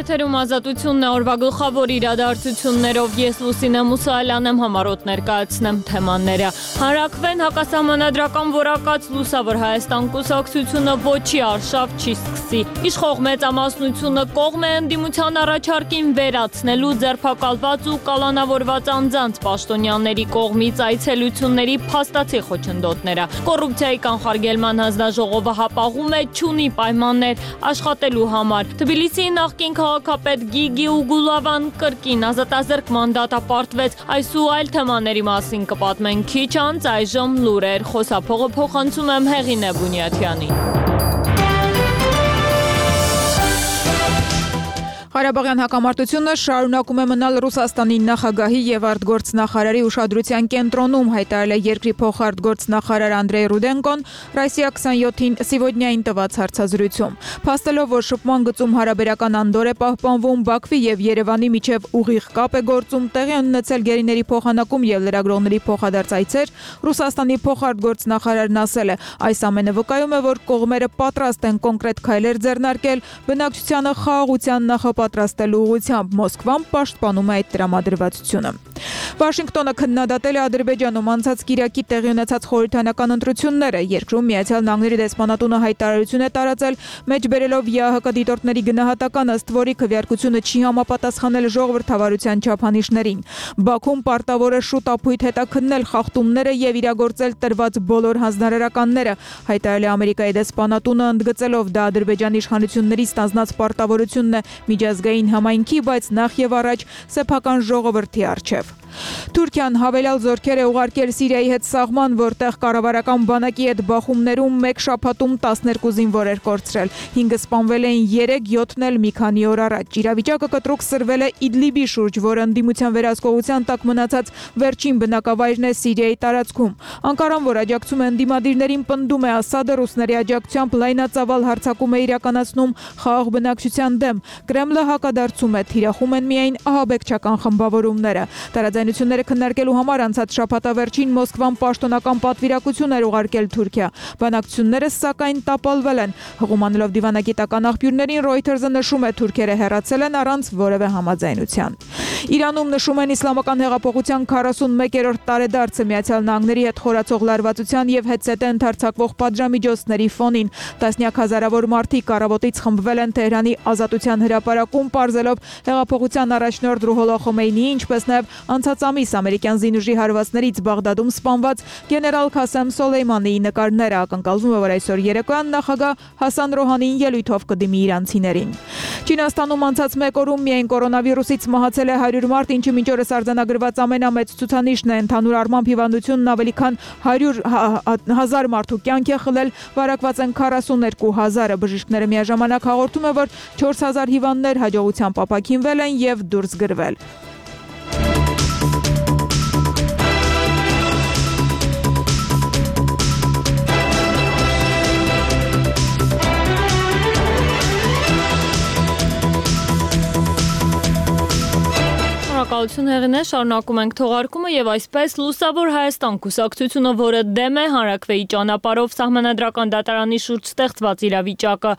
Եթերում ազատությունն է, օրվա գլխավոր իրադարձություններով ես Լուսինե Մուսայելյան եմ, համառոտ ներկայացնեմ թեմաները։ Հանրաքվեն հակասահմանադրական որակած Լուսավոր Հայաստան կուսակցությունը ոչի արշավ չի սկսի։ Իշխող մեծամասնությունը կողմ է ընդդիմության առաջարկին վերացնելու ձերբակալված ու կալանավորված անձանց պաշտոնյաների կողմից այցելությունների փաստացի խոչընդոտները։ Կոռուպցիայի կանխարգելման հանձնաժողովը հապաղում է չունի պայմաններ աշխատելու համար։ Թբիլիսիի նախկին քաղաքապետ Գիգի Ուգուլավան կրկին ազատազրկման դատապարտվեց։ Այս ու այլ թեմաների մասին կպատմենք քիչ անց, այժմ լուրեր, խոսափողը փոխանցում եմ Հեղինե Բունյաթյանին։ Ղարաբաղյան հակամարտությունը շարունակում է մնալ Ռուսաստանի նախագահի եւ արտգործնախարարի ուշադրության կենտրոնում, հայտարարել է երկրի փոխարտգործնախարար Անդրեյ Ռուդենկոն Ռոսիա 27-ին Սիվոդնյային տված հարցազրույցում։ Փաստելով, որ շփման գծում հարաբերական անդոր է պահպանվում, Բաքվի եւ Երևանի միջև ուղիղ կապ է գործում, տեղի ունեցել գերիների փոխանակում եւ լրագրողների փոխադարձ այցեր, Ռուսաստանի փոխարտգործնախարարն ասել է, այս ամենը վկայում է, որ կողմերը պատրաստ են կոնկրետ քայլեր ձեռնարկել, բնակչությանը խաղաղության նախապատրաստելու ուղղությամբ, Մոսկվան պաշտպանում է այդ տրամադրվածությունը։ Վաշինգտոնը քննադատել է Ադրբեջանում անցած կիրակի տեղի ունեցած խորհրդանական ընտրությունները, երկրում Միացյալ Նահանգների դեսպանատունը հայտարարություն է տարածել, մեջբերելով ԵԱՀԿ դիտորդների գնահատական, ըստ որի քվեարկությունը չի համապատասխանել ժողովրդավարության չափանիշներին։ Բաքուն պարտավոր է շուտ ապույտ հետաքննել խախտումները եւ իրագործել տրված բոլոր հանձնարարականները, հայտարարել է Ամերիկայի դեսպանատունը, ընդգծելով դա Ադրբեջանի իշխանությունների ստանձնած պարտավորությունն է միջազգային համայնքի, բայց նախ եւ առաջ սեփական ժողովրդի առջև։ Թուրքիան հավելյալ զորքեր է ուղարկել Սիրիայի հետ սահման, որտեղ կառավարական բանակի հետ բախումներում մեկ շաբաթում 12 զինվորեր կորցրել, 5-ը սպանվել էին, 3-7-ն էլ մի քանի օր առաջ։ Իրավիճակը կտրուկ սրվել է Իդլիբի շուրջ, որը ընդդիմության վերահսկողության տակ մնացած վերջին բնակավայրն է Սիրիայի տարածքում։ Անկարան, որ աջակցում է ընդդիմադիրներին, պնդում է Ասադը ռուսների աջակցությամբ լայնածավալ հարձակում է իրականացնում խաղաղ բնակչության դեմ։ Կրեմլը հակադարձում է, թիրախում են միայն ահաբեկչական խմբավորումները։ Տարաձայնությունները քննարկելու համար անցած շաբաթավերջին Մոսկվան պաշտոնական պատվիրակություն էր ուղարկել Թուրքիա։ Բանակցությունները սակայն տապալվել են։ Հղումանելով դիվանագիտական աղբյուրներին, Reuters-ը նշում է, թուրքերը հեռացել են առանց որևէ համաձայնության։ Իրանում նշում են իսլամական հեղափոխության 41-րդ տարեդարձը Միացյալ Նահանգների հետ խորացող լարվածության եւ հետզհետե ընդարձակվող պատժամիջոցների ֆոնին։ Տասնյակ հազարավոր մարդիկ առավոտից խմբվել են Թեհրանի Ազատության հրապարակում, պարզելով հեղափոխության առաջնորդ Ռուհոլլա Խոմեյնիի, ինչպես նաեւ անցած ամիս ամերիկյան զինուժի հարվածներից Բաղդադում սպանված գեներալ Քասեմ Սոլեյմանիի նկարները, ակնկալվում է, որ այսօր երեկոյան նախագահ Հասան Ռոհանին ելույթով կդիմի իրանցիներին։ Չինաստանում անցած մեկ օրում միայն կորոնավիրուսից մահացել է 100 մարդ, ինչը մինչ օրս արձանագրված ամենամեծ ցուցանիշն է։ Ընդհանուր առմամբ հիվանդությունն ավելի քան 100,000 մարդու կյանք է խլել, վարակված են 42,000-ը։ Բժիշկները միաժամանակ հաղորդում են, որ 4,000 հիվանդներ հաջողությամբ ապաքինվել են եւ դուրս գրվել։ Շնորհակալություն Հեղինե, շարունակում ենք թողարկումը եւ այսպես Լուսավոր Հայաստան կուսակցությունը, որը դեմ է հանրաքվեի ճանապարհով սահմանադրական դատարանի շուրջ ստեղծված իրավիճակը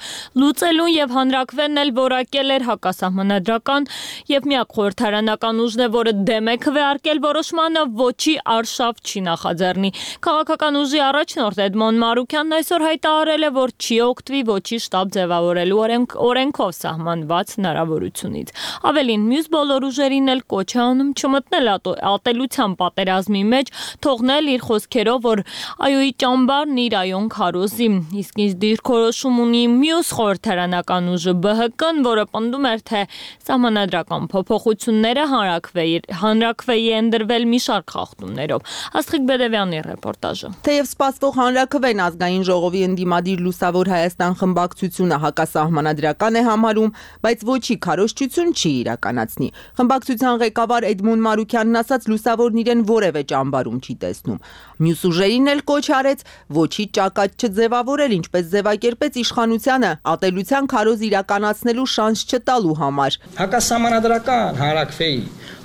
լուծելուն եւ հանրաքվեն էլ որակել էր հակասահմանադրական եւ միակ խորհրդարանական ուժն է, որը դեմ է քվեարկել որոշմանը, ոչի արշավ չի նախաձեռնի։ Քաղաքական ուժի առաջնորդ Էդմոն Մարուկյանն այսօր հայտարարել է, որ չի օգտվի ոչի շտաբ ձևավորելու օրենքով սահմանված հնարավորությունից։ Ավելին, մյուս բոլոր ուժերին էլ կոչ է անում չմտնել ատելության պատերազմի մեջ, թողնել իր խոսքերով, որ այոյի ճամբարն իր այոն քարոզի։ Իսկ ինչ դիրքորոշում ունի մյուս խորհրդարանական ուժը ԲՀԿ-ն, որը պնդում էր, թե սահմանադրական փոփոխությունները հանրաքվեի են դրվել մի շարք խախտումներով։ Աստղիկ Բեդևյանի ռեպորտաժը։ Թեև սպասվող հանրաքվեն ազգային ժողովի ընդդիմադիր Լուսավոր Հայաստան խմբակցությունը հակասահմանադրական է համարում, բայց ոչի քարոզչություն չի իրականացնի։ Խմբակցության ղեկավար Էդմոն Մարուկյանն ասաց, Լուսավորն իրեն որևէ ճամբարում չի տեսնում։ Մյուս ուժերին էլ կոչ արեց ոչի ճակատ չձևավորել, ինչպես ձևակերպեց իշխանությանը ատելության քարոզ իրականացնելու շանս չտալու համար։ Հակասահմանադրական հանրաքվեի,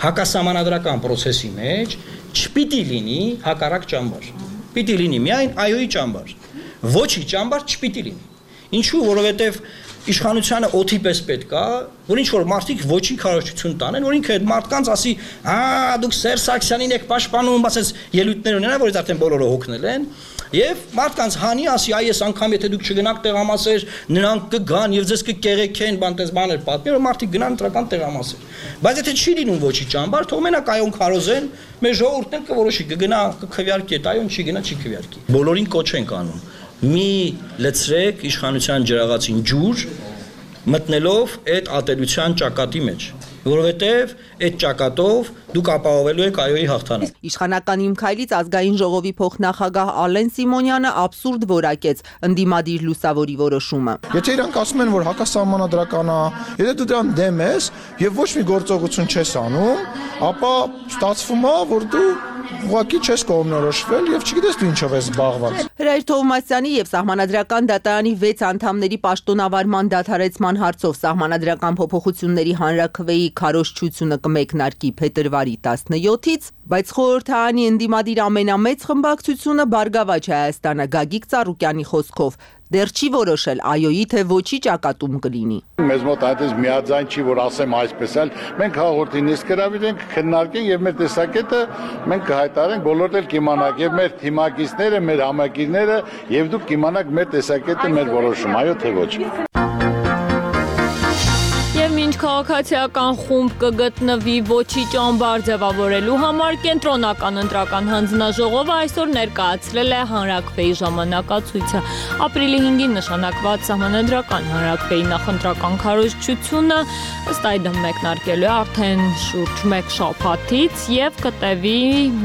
հակասահմանադրական process-ի մեջ չպիտի լինի հակառակ ճամբար։ Պիտի լինի միայն այոյի ճամբար։ Ոչի ճամբար չպիտի լինի։ Ինչու, որովհետև իշխանությանը օթի պես պետք է, որ ինչ որ մարդիկ ոչի քարոզչություն տանեն, որ ինքը այդ մարդկանց ասի, դուք Սերժ Սարգսյանին եք պաշտպանում, ասես ելույթներ ունենա, որից արդեն բոլորը հոգնել են, եւ մարդկանց հանի ասի, այս անգամ եթե դուք չգնաք տեղամասեր, նրանք կգան եւ ձեզ կկեղեքեն, բանտես բաներ պատմի, որ մարդիկ գնան ընտրական տեղամասեր։ Բայց եթե չի լինում ոչի ճամբար, թող մենակ այոն քարոզեն, մեր ժողովուրդն էլ կորոշի, կգնա, կքվյարկի, այդ այոն չի գնա, չի քվյարկի։ Բոլորին կոչ ենք անում։ Մի լցրեք իշխանության ջրաղացին ջուր, մտնելով այդ ատելության ճակատի մեջ, որովհետև այդ ճակատով դուք ապահովելու եք այոյի հաղթանակ։ Իշխանական Իմ քայլից ազգային ժողովի փոխնախագահ Ալեն Սիմոնյանը абսուրդ որակեց ընդդիմադիր լուսավորի որոշումը։ Եթե իրանք ասում են, որ հակասահմանադրական է, եթե դու դրան դեմ ես եւ ոչ մի գործողություն չես անում, ապա ստացվում է, որ դու ուղղակի չես կողմնորոշվել եւ չգիտես դու ինչով ես զբաղված։ Հրայր Թովմասյանի եւ Սահմանադրական դատարանի 6 անդամների պաշտոնավարման դադարեցման հարցով Սահմանադրական փոփոխությունների հանրաքվեի քարոզչությունը կմեկնարկի փետրվարի 17-ից, բայց խորհրդարանի ընդդիմադիր ամենամեծ խմբակցությունը Բարգավաճ Հայաստանը Գագիկ Ծառուկյանի խոսքով դեռ չի որոշել այոյի թե ոչի ճակատում կլինի։ Մեզ մոտ այդպես միաձայն չի, որ ասեմ այսպես էլ, մենք հաղորդի նիստ հրավիրենք, քննարկենք եւ մեր տեսակետը մենք կհայտարարենք, բոլորդ էլ կիմանաք եւ մեր թիմակիցները, մեր համակիրները եւ դուք կիմանաք մեր տեսակետը, մեր որոշումը, այո թե ոչ։ Եվ մինչ քաղաքացիական խումբ կգտնվի ոչի ճամբար ձևավորելու համար կենտրոնական ընտրական հանձնաժողովը այսօր ներկայացրել է հանրաքվեի ժամանակացույցը։ Ապրիլի 5-ին նշանակված Սահմանադրական հանրաքվեի նախընտրական քարոզչությունը ըստ այդմ մեկնարկելու է արդեն շուրջ 1 շաբաթից եւ կտևի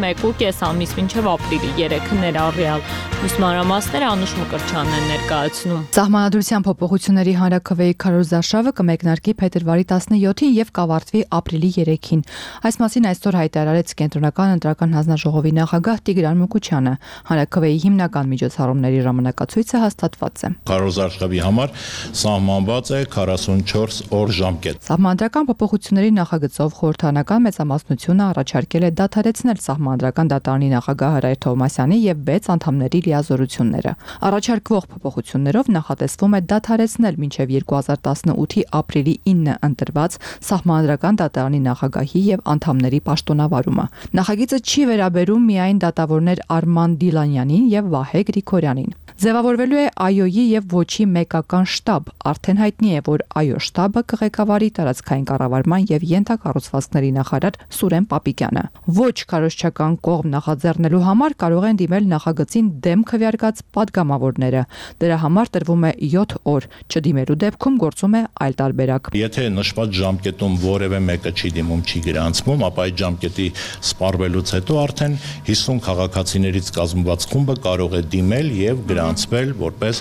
1.5 ամիս մինչեւ ապրիլի 3-ը ներառյալ։ Ուսմանրամասները Անուշ Մկրտչյանն են ներկայացնում։ Սահմանադրության փոփոխությունների հանրաքվեի քարոզարշավը կմեկնարկի փետրվարի 17-ին եւ կավարտվի ապրիլի 3-ին։ Այս մասին այսօր հայտարարեց Կենտրոնական ընտրական հանձնաժողովի նախագահ Տիգրան Մուկուչյանը։ Հանրաքվեի հիմնական միջոցառումների ժամանակացույցը հաստատված է։ Քարոզարշավի համար սահմանված է 44 օր ժամկետ։ Սահմանադրական փոփոխությունների նախագծով խորհրդարանական մեծամասնությունը առաջարկել է դադարեցնել Սահմանադրական դատարանի նախագահ Հրայր Թովմասյանի եւ 6 անդամների լիազորությունները։ Առաջարկվող փոփոխություններով նախատեսվում է դադարեցնել մինչև 2018-ի ապրիլի 9-ը ընտրված Սահմանադրական դատարանի նախագահի եւ անդամների պաշտոնավարումը։ Նախագիծը չի վերաբերում միայն դատավորներ Արման Դիլանյանին եւ Վահե Գրիգորյանին։ Ձևավորվելու է այոյի եւ ոչի մեկական շտաբ։ Արդեն հայտնի է, որ այո շտաբը կղեկավարի տարածքային կառավարման եւ ենթակառուցվածքների նախարար Սուրեն Պապիկյանը։ Ոչ քարոզչական կողմ նախաձեռնելու համար կարող են դիմել նախագծին դեմ քվեարկած падգամավորները։ Դրա համար տրվում է 7 օր։ Չդիմելու դեպքում գործում է այլ տարբերակ։ Եթե նշված ժամկետում որևէ մեկը չի դիմում, չի գրանցվում, ապա այդ ժամկետի սպառվելուց հետո արդեն 50 քաղաքացիներից կազմված խումբը կարող է դիմել եւ գրանցվել որպես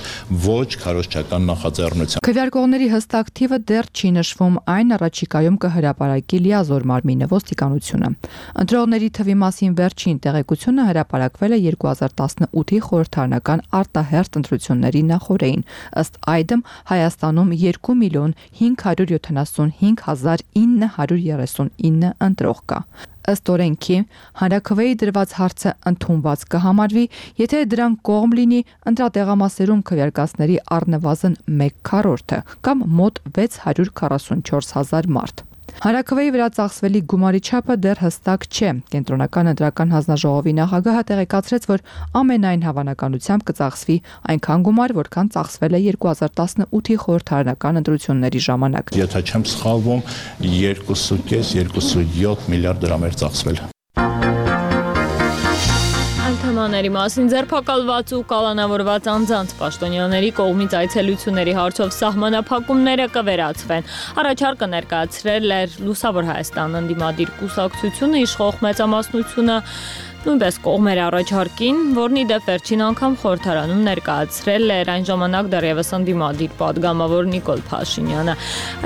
ոչ քարոզչական նախաձեռնություն։ Քվեարկողների հստակ թիվը դեռ չի նշվում, այն առաջիկայում կհրապարակի լիազոր մարմինը ոստիկանությունը։ Ընտրողների թվի մասին վերջին տեղեկությունը հրապարակվել է 2018-ի խորհրդարանական արտահերթ ընտրությունների նախօրեին։ Ըստ այդմ Հայաստանում 2,575,939 ընտրող կա։ Ըստ օրենքի հանրաքվեի դրված հարցը ընդունված կհամարվի, եթե դրան կողմ լինի ընտրատեղամասերում քվեարկածների առնվազն 1/4 կամ մոտ 644,000 մարդ։ Հանրաքվեի վրա ծախսվելի գումարի չափը դեռ հստակ չէ։ Կենտրոնական ընտրական հանձնաժողովի նախագահը տեղեկացրեց, որ ամենայն հավանականությամբ կծախսվի այնքան գումար, որքան ծախսվել է 2018-ի խորհրդարանական ընտրությունների ժամանակ։ Եթե չեմ սխալվում, 2.5-2.7 միլիարդ դրամ էր ծախսվել։ Թեմաների մասին ձերբակալված ու կալանավորված անձանց պաշտոնյաների կողմից այցելությունների հարցով սահմանափակումները կվերացվեն։ Առաջարկը ներկայացրել էր Լուսավոր Հայաստան ընդդիմադիր կուսակցությունը, իշխող մեծամասնությունը նույնպես կողմեր առաջարկին, որն ի դեպ վերջին անգամ խորհրդարանում ներկայացրել էր այն ժամանակ դեռևս ընդդիմադիր падգամավոր Նիկոլ Փաշինյանը։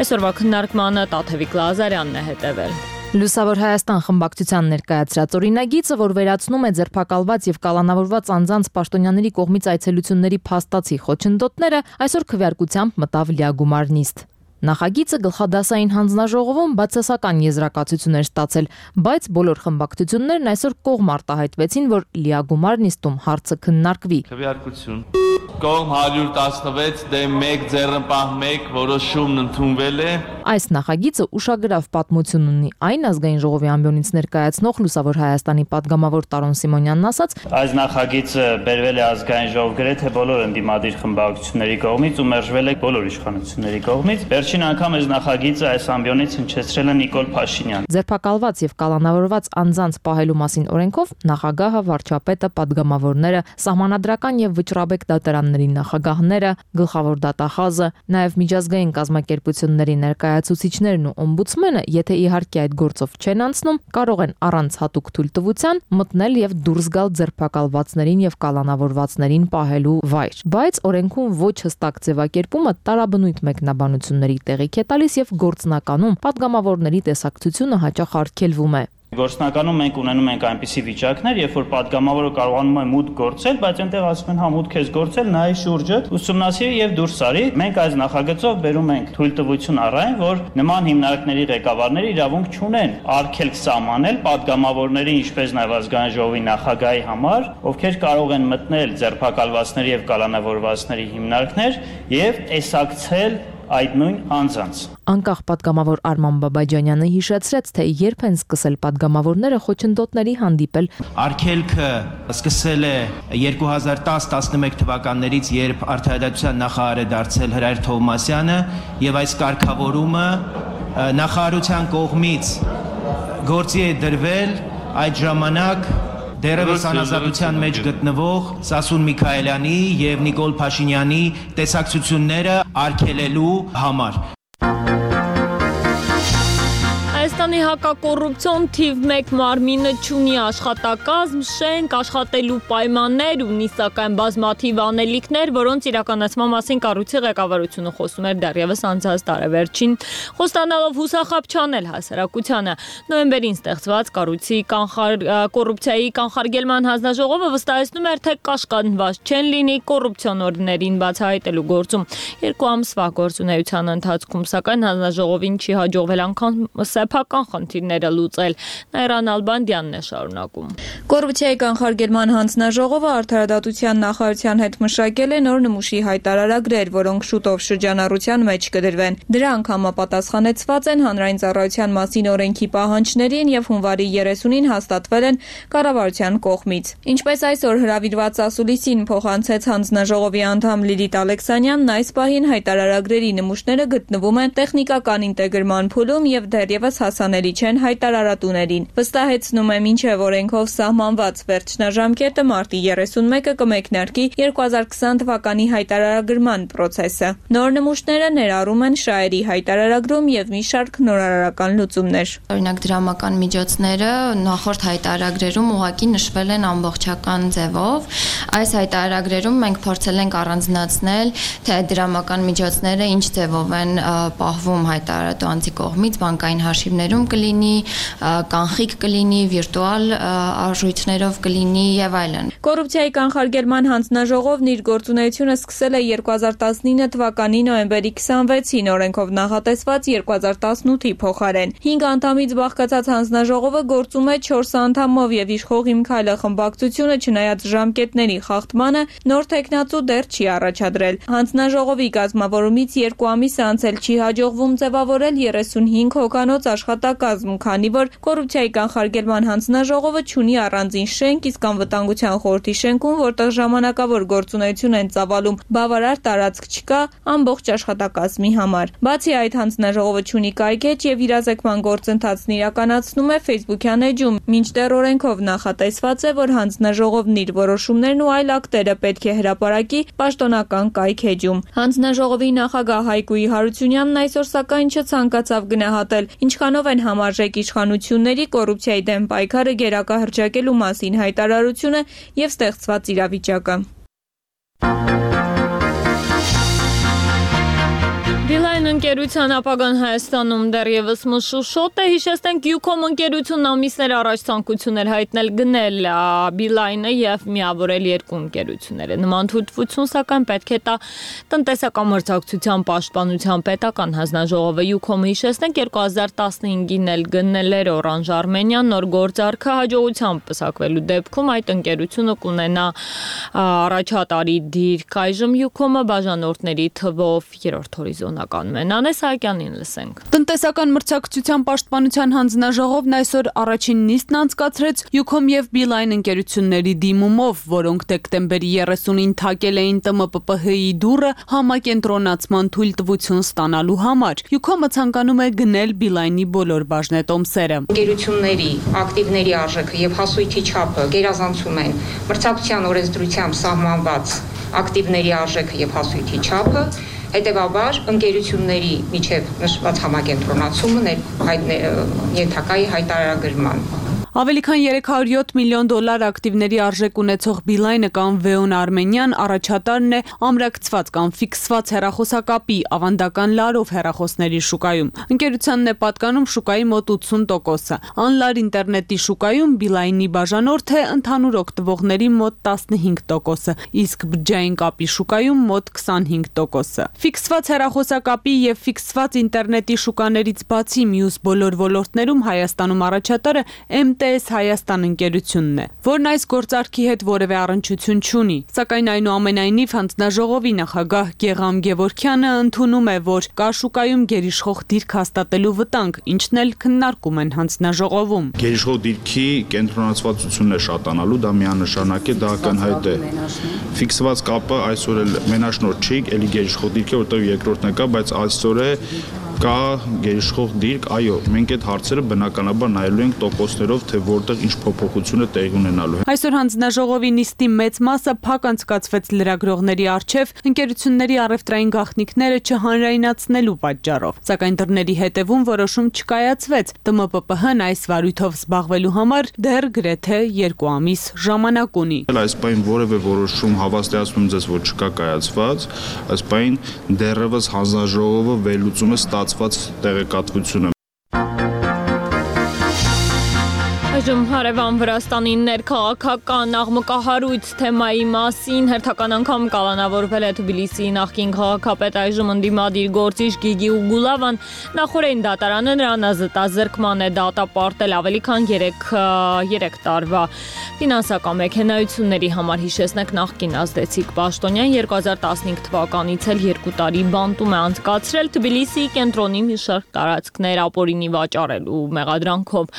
Այսօրվա քննարկմանը Տաթևիկ Լազարյանն է հետևել։ Լուսավոր Հայաստան խմբակցության ներկայացրած օրինագիծը, որ վերացնում է ձերբակալված եւ կալանավորված անձանց պաշտոնյաների կողմից այցելությունների փաստացի խոչընդոտները, այսօր քվեարկությամբ մտավ լիագումար նիստ։ Նախագիծը գլխադասային հանձնաժողովում բացասական եզրակացություն էր ստացել, բայց բոլոր խմբակցություններն այսօր կողմ արտահայտվեցին, որ լիագումար նիստում հարցը քննարկվի։ Քվեարկություն։ Կողմ 116 դեմ 1 ձեռնպահ 1 որոշումն ընդունվել է։ Այս նախագիծը ուշագրավ պատմություն ունի, այն ազգային ժողովի ամբիոնից ներկայացնող Լուսավոր Հայաստանի падգամավոր Տարոն Սիմոնյանն ասաց. Այս նախագիծը բերվել է ազգային ժողով գրեթե բոլոր ընդդիմադիր խմբակցությունների կողմից ու մերժվել է բոլոր իշխանությունների կողմից։ Վերջին անգամ այս նախագիծը այս ամբիոնից հնչեցրել է Նիկոլ Փաշինյանը։ Ձերբակալված եւ կալանավորված անձանց պահելու մասին օրենքով նախագահը, վարչապետը, падգամավորները, սահմանադրական եւ վճռաբեկ դատարանների նախագահները, գլխավոր դատախազը, նաեւ միջազգային կազմակերպությունների ներկայացուցիչներն ու օմբուդսմենը, եթե իհարկե այդ գործով չեն անցնում, կարող են առանց հատուկ թույլտվության մտնել եւ դուրս գալ ձերբակալվածներին եւ կալանավորվածներին պահելու վայր։ Բայց օրենքում ոչ հստակ ձևակերպումը տարաբնույթ մեկնաբանությունների տեղիք է տալիս եւ գործնականում падգամավորների տեսակցությունը հաճախ արգելվում է։ Գործնականում մենք ունենում ենք այնպիսի վիճակներ, երբ որ падգամավորը կարողանում է մուտք գործել, բայց այնտեղ ասում են հա մուտք ես գործել, նայ շուրջդ, ուսումնասիրի եւ դուրս արի։ Մենք այս նախագծով բերում ենք թույլտվություն առայն, որ նման հիմնարկների ղեկավարները իրավունք չունեն արգելք սահմանել падգամավորների, ինչպես նաեւ ազգային ժողովի նախագահի համար, ովքեր կարող են մտնել ձերբակալվածների եւ կալանավորվածների հիմնարկներ եւ տեսակցել այդ նույն անձանց։ Անկախ падգամավոր Արման Բաբաջանյանը հիշեցրեց, թե երբ են սկսել падգամավորները խոչընդոտների հանդիպել։ Արգելքը սկսել է 2010-11 թվականներից, երբ Արդարադատության նախարար է դարձել Հրայր Թովմասյանը, եւ այս կարգավորումը նախարարության կողմից գործի է դրվել այդ ժամանակ դերևս անազատության մեջ գտնվող Սասուն Միքայելյանի եւ Նիկոլ Փաշինյանի տեսակցությունները արգելելու համար։ Հայաստանի հակակոռուպցիոն թիվ 1 մարմինը չունի աշխատակազմ, շենք, աշխատելու պայմաններ, ունի սակայն բազմաթիվ անելիքներ, որոնց իրականացման մասին կառույցի ղեկավարությունը խոսում էր դեռևս անցած տարեվերջին, խոստանալով հուսախաբ չանել հասարակությանը։ Նոյեմբերին ստեղծված կառույցի կոռուպցիայի կանխարգելման հանձնաժողովը վստահեցնում էր, թե կաշկանդված չեն լինի կոռուպցիոներներին բացահայտելու գործում։ 2 ամսվա գործունեության ընթացքում սակայն հանձնաժողովին չի հաջողվել անգամ սեփական խնդիրները լուծել։ Նայրան Ալբանդյանն է շարունակում։ Կոռուպցիայի կանխարգելման հանձնաժողովը Արդարադատության նախարարության հետ մշակել է նոր նմուշի հայտարարագրեր, որոնք շուտով շրջանառության մեջ կդրվեն։ Դրանք համապատասխանեցված են հանրային ծառայության մասին օրենքի պահանջներին եւ հունվարի 30-ին հաստատվել են կառավարության կողմից։ Ինչպես այսօր հրավիրված ասուլիսին փոխանցեց հանձնաժողովի անդամ Լիլիթ Ալեքսանյանն, այս պահին հայտարարագրերի նմուշները գտնվում են տեխնիկական ինտեգրման փուլում եւ դեռևս հասանելի չեն հայտարարատուներին։ Վստահեցնում է, մինչև օրենքով սահմանված վերջնաժամկետը մարտի 31-ը կմեկնարկի 2020 թվականի հայտարարագրման process-ը։ Նոր նմուշները ներառում են շահերի հայտարարագրում եւ մի շարք նորարարական լուծումներ։ Օրինակ դրամական միջոցները նախորդ հայտարարագրերում ուղղակի նշվել են ամբողջական ձևով։ Այս հայտարարագրերում մենք փորձել ենք առանձնացնել, թե դրամական միջոցները ինչ ձևով են պահվում հայտարարատու անձի կողմից, բանկային հաշիվներում կլինի, կանխիկ կլինի, վիրտուալ արժույթներով կլինի եւ այլն։ Կոռուպցիայի կանխարգելման հանձնաժողովն իր գործունեությունը սկսել է 2019 թվականի նոյեմբերի 26-ին օրենքով նախատեսված 2018-ի փոխարեն։ 5 անդամից բաղկացած հանձնաժողովը գործում է 4 անդամով եւ իշխող Իմ Քայլը խմբակցությունը չնայած ժամկետների խախտմանը նոր տեխնացու դեռ չի առաջադրել։ Հանձնաժողովի կազմավորումից 2 ամիս անցել չի հաջողվում ձևավորել 35 հոգանոց աշխատակազմ, քանի որ կոռուպցիայի կանխարգելման հանձնաժողովը չունի առանձին շենք, իսկ անվտանգության խորհրդի շենքում, որտեղ ժամանակավոր գործունեություն են ծավալում, բավարար տարածք չկա ամբողջ աշխատակազմի համար։ Բացի այդ, հանձնաժողովը չունի կայքեջ եւ իրազեկման գործընթացն իրականացնում է Facebook-յան էջում, մինչդեռ օրենքով նախատեսված է, որ հանձնաժողովն իր որոշումներն ու այլ ակտերը պետք է հրապարակի պաշտոնական կայքեջում։ Հանձնաժողովի նախագահ Հայկուի Հարությունյանն այսօր սակայն չցանկացավ գնահատել, ինչքանով են համարժեք իշխանությունների կոռուպցիայի դեմ պայքարը գերակա հռչակելու մասին հայտարարությունը եւ ստեղծված իրավիճակը։ Beeline Ընկերության ապագան Հայաստանում դեռևս մշուշոտ է, հիշեցնենք Ucom ընկերությունն ամիսներ առաջ ցանկություն էր հայտնել գնել Beeline-ը եւ միավորել երկու ընկերությունները։ Նման թույլտվություն սակայն պետք է տա տնտեսական մրցակցության պաշտպանության պետական հանձնաժողովը։ Ucom-ը հիշեցնենք 2015-ին էլ գնել էր Orange Armenian նոր գործարքը հաջողությամբ պսակվելու դեպքում այդ ընկերությունը կունենա առաջատարի դիրք։ Այժմ Ucom-ը բաժանորդների թվով 3-րդ հորիզոնական Նանե Սահակյանին լսենք։ Տնտեսական մրցակցության պաշտպանության հանձնաժողովն այսօր առաջին նիստն անցկացրեց Ucom եւ Beeline ընկերությունների դիմումով, որոնք դեկտեմբերի 30-ին թակել էին ՏՄՊՊՀ-ի դուռը համակենտրոնացման թույլտվություն ստանալու համար։ Ucom-ը ցանկանում է գնել Beeline-ի բոլոր բաժնետոմսերը։ Ընկերությունների ակտիվների արժեքը եւ հասույթի չափը գերազանցում են մրցակցության օրենսդրությամբ սահմանված ակտիվների արժեքը եւ հասույթի չափը։ Հետևաբար ընկերությունների միջև նշված համակենտրոնացումը ենթակա է հայտարարագրման։ Ավելի քան 307 միլիոն դոլար ակտիվների արժեք ունեցող Beeline-ը կամ Veon Armenian առաջատարն է ամրակցված կամ ֆիքսված հեռախոսակապի ավանդական լարով հեռախոսների շուկայում։ Ընկերությանն է պատկանում շուկայի մոտ 80%-ը։ Անլար ինտերնետի շուկայում Beeline-ի բաժանորդ է ընդհանուր օգտվողների մոտ 15%-ը, իսկ բջջային կապի շուկայում մոտ 25%-ը։ Ֆիքսված հեռախոսակապի եւ ֆիքսված ինտերնետի շուկաներից բացի մյուս բոլոր ոլորտներում Հայաստանում առաջատարը MTS Հայաստան ընկերությունն է, որն այս գործարքի հետ որևէ առնչություն չունի, սակայն այնուամենայնիվ հանձնաժողովի նախագահ Գեգամ Գևորգյանը ընդունում է, որ կա շուկայում գերիշխող դիրք հաստատելու վտանգ, ինչն էլ քննարկում են հանձնաժողովում։ Գերիշխող դիրքի կենտրոնացվածությունն է շատանալու, դա միանշանակ է, դա ակնհայտ է։ Ֆիքսված կապը այսօր էլ մենաշնորհ չի, էլի գերիշխող դիրք է, որտեղ երկրորդն է կա, բայց այսօր է կա գերիշխող դիրք, այո, մենք այդ հարցերը բնականաբար նայելու ենք տոկոսներով, թե որտեղ ինչ փոփոխություն է տեղի ունենալու։ Այսօր հանձնաժողովի նիստի մեծ մասը փակ անցկացվեց լրագրողների առջև ընկերությունների առևտրային գաղտնիքները չհանրայնացնելու պատճառով, սակայն դռների հետևում որոշում չկայացվեց։ ՏՄՊՊՀ-ն այս վարույթով զբաղվելու համար դեռ գրեթե 2 ամիս ժամանակ ունի։ Այս պայն որևէ որոշում հավաստիացնում ձեզ, որ չկա կայացված, այս պայն դեռևս հանձնաժողովը վերլուծում է տեղեկատվությունը։ Այժմ հարևան Վրաստանի ներքաղաքական աղմկահարույց թեմայի մասին հերթական անգամ կալանավորվել է Թբիլիսիի նախկին քաղաքապետ այժմ ընդդիմադիր գործիչ Գիգի Ուգուլավան։ Նախորդին դատարանը նրան ազատազրկման է դատապարտել ավելի քան 3 տարվա ֆինանսական մեքենայությունների համար։ Հիշեցնենք նախկին ազդեցիկ պաշտոնյան 2015 թվականից էլ 2 տարի բանտում է անցկացրել Թբիլիսիի կենտրոնի մի շարք տարածքներ ապօրինի վաճառելու մեղադրանքով։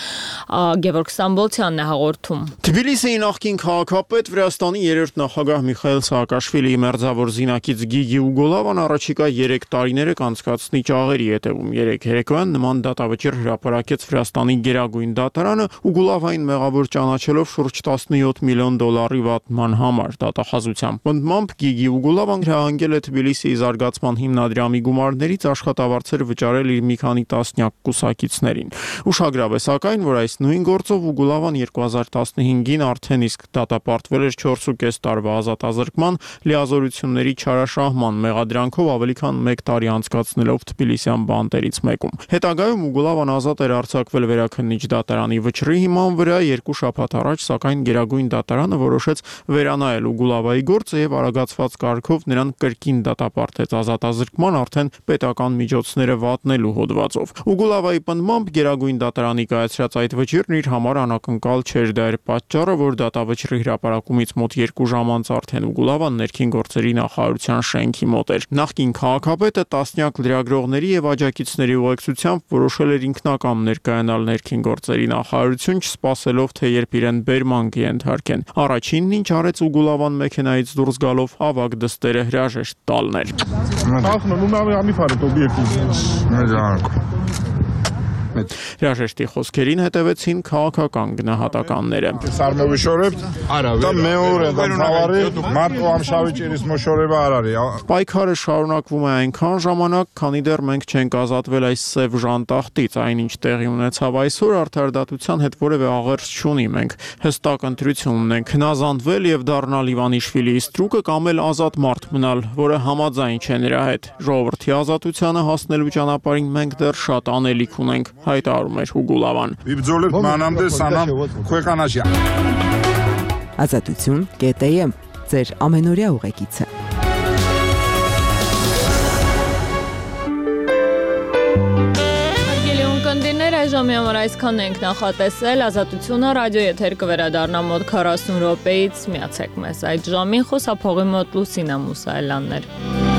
Գևորգ Ստամբոլցյանն է հաղորդում։ Թբիլիսիի նախկին քաղաքապետ Վրաստանի 3-րդ նախագահ Միխայել Սաակաշվիլիի մերձավոր զինակից Գիգի Ուգուլավան առաջիկա 3 տարիները կանցկացնի ճաղերի հետևում։ 3 երեկոյան նման դատավճիռ հրապարակեց Վրաստանի գերագույն դատարանը Ուգուլավային մեղավոր ճանաչելով շուրջ 17 միլիոն դոլարի վատման համար։ Դատախազության պնդմամբ Գիգի Ուգուլավան հրահանգել է Թբիլիսիի զարգացման հիմնադրամի գումարներից աշխատավարձեր վճարել իր մի քանի տասնյակ կուսակիցներին։ Ուշագրավ է սակայն, որ այս նույն գործով Ուգուլավան 2015-ին արդեն իսկ դատապարտվել էր 4.5 տարվա ազատազրկման լիազորությունների չարաշահման մեղադրանքով ավելի քան 1 տարի անցկացնելով Թբիլիսյան բանտերից մեկում։ Հետագայում Ուգուլավան ազատ էր արձակվել վերաքննիչ դատարանի վճռի հիման վրա 2 շաբաթ առաջ, սակայն գերագույն դատարանը որոշեց վերանայել Ուգուլավայի գործը եւ արագացված կարգով նրան կրկին դատապարտեց ազատազրկման արդեն պետական միջոցները վատնելու հոդվածով։ Ուգուլավայի պնդմամբ գերագույն դատարանի կայացրած այդ վճիռն իր համար անակնկալ չէր, դա էր պատճառը, որ դատավճռի հրապարակումից մոտ 2 ժամ անց արդեն Ուգուլավան ներքին գործերի նախարարության շենքի մոտ էր։ Նախկին քաղաքապետը տասնյակ լրագրողների եւ աջակիցների ուղեկցությամբ որոշել էր ինքնակամ ներկայանալ ներքին գործերի նախարարություն, չսպասելով թե երբ իրեն բերման կենթարկեն։ Առաջինն ինչ արեց Ուգուլավան մեքենայից դուրս գալով ավագ դստերը հրաժեշտ տալներ։ Հրաժեշտի խոսքերին հետևեցին քաղաքական գնահատականները։ Պայքարը շարունակվում է այնքան ժամանակ, քանի դեռ մենք չենք ազատվել այս սև ժանտախտից, այնինչ տեղի ունեցավ այսօր արդարադատության հետ որևէ աղերս չունի, մենք հստակ ընտրություն ունենք հնազանդվել եւ դառնալ Իվանիշվիլիի ստրուկը կամ էլ ազատ մարդ մնալ, որը համաձայն չէ նրա հետ։ Ժողովրդի ազատությանը հասնելու ճանապարհին մենք դեռ շատ անելիք ունենք, հայտարարում էր Ուգուլավան։ Ազատություն.am ձեր ամենօրյա ուղեկիցը։ Ժամի համար այսքան ենք նախատեսել, Ազատությունը ռադիո եթեր կվերադառնա մոտ 40 րոպեից, միացեք մեզ այդ ժամին, խոսափողի մոտ Լուսինա Մուսայելյանն էր։